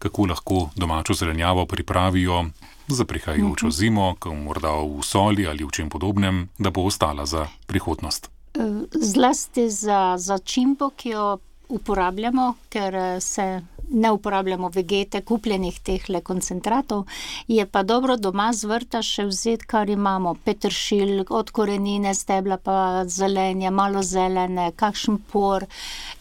kako lahko domačo zelenjavo pripravijo za prihajajočo zimo, ko morda v soli ali v čem podobnem, da bo ostala za prihodnost. Zlasti za začimbo, ki jo uporabljamo, ker se ne uporabljamo vegete, kupljenih tehle koncentratov, je pa dobro doma z vrta še vzeti, kar imamo. Peteršilj, od korenine, stebla pa zelenje, malo zelene, kakšen por,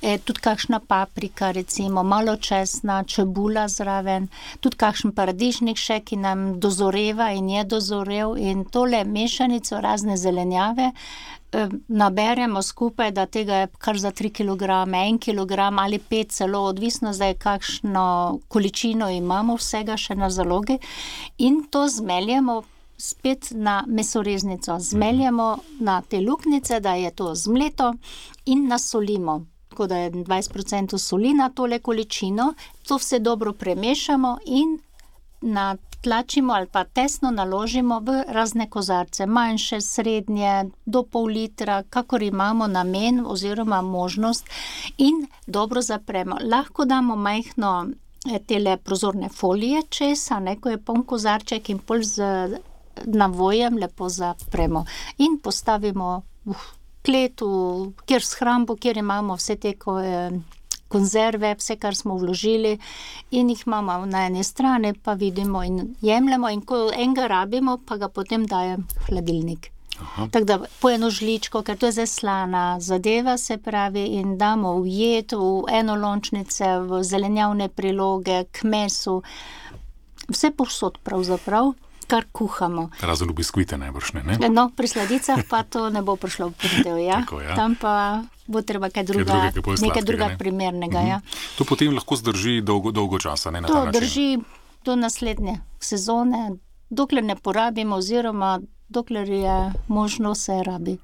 tudi kakšna paprika, recimo, malo česna, čebula zraven, tudi kakšen paradižnik še, ki nam dozoreva in je dozorel, in tole mešanico razne zelenjave naberemo skupaj, da tega je kar za 3 kilograme, 1 kilogram ali 5 celo, odvisno zdaj kakšno količino imamo vsega še na zalogi, in to zmeljemo spet na mesoreznico. Zmeljemo na te luknjice, da je to zmleto, in nasolimo. Tako da je 20% soli na tole količino, to vse dobro premešamo in natlačimo ali pa tesno naložimo v razne kozarce, manjše, srednje, do pol litra, kakor imamo namen oziroma možnost, in dobro zapremo. Lahko damo majhno tele prozorne folije čez, ko je poln kozarček, in pol z navojem lepo zapremo in postavimo v klet, kjer shrambo, kjer imamo vse te konzerve, vse, kar smo vložili, in jih imamo na eni strani, pa vidimo in jemljemo, in ko enega rabimo, pa ga potem dajem v hladilnik. Tako da po eno žličko, ker to je zaslana zadeva, se pravi, in damo v jed, v enolončnice, v zelenjavne priloge, k mesu, vse povsod pravzaprav, kar kuhamo. Razen v biskvite najbrž ne? No, pri sladicah pa to ne bo prišlo v potev, ja. Tako, ja. Tam pa bo treba nekaj druga primernega, ja. To potem lahko zdrži dolgo časa, ne, na ta način? To drži do naslednje sezone, dokler ne porabimo, oziroma dokler je možno, se rabi.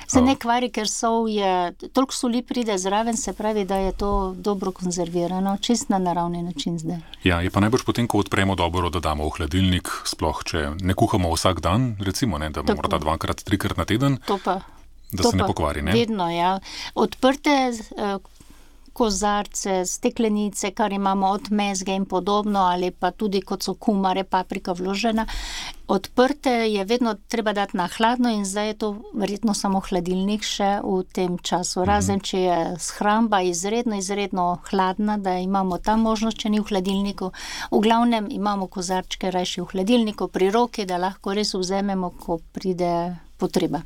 Se ne kvari, ker sol je, toliko soli pride zraven, se pravi, da je to dobro konzervirano, čist na naravni način zdaj. Ja, je pa najbrž potem, ko odpremo dobro, da damo v hladilnik, sploh če ne kuhamo vsak dan, recimo, ne, da morda 2-krat, 3-krat na teden, da se ne pokvari, ne? Vedno, ja. Odprte kozarce, steklenice, kar imamo od mezge in podobno, ali pa tudi kot so kumare, paprika vložena, odprte je vedno treba dati na hladno, in zdaj je to verjetno samo hladilnik še v tem času. Razen, če je shramba izredno hladna, da imamo ta možnost, če ni v hladilniku. V glavnem imamo kozarčke rajši v hladilniku pri roki, da lahko res vzamemo, ko pride potreba.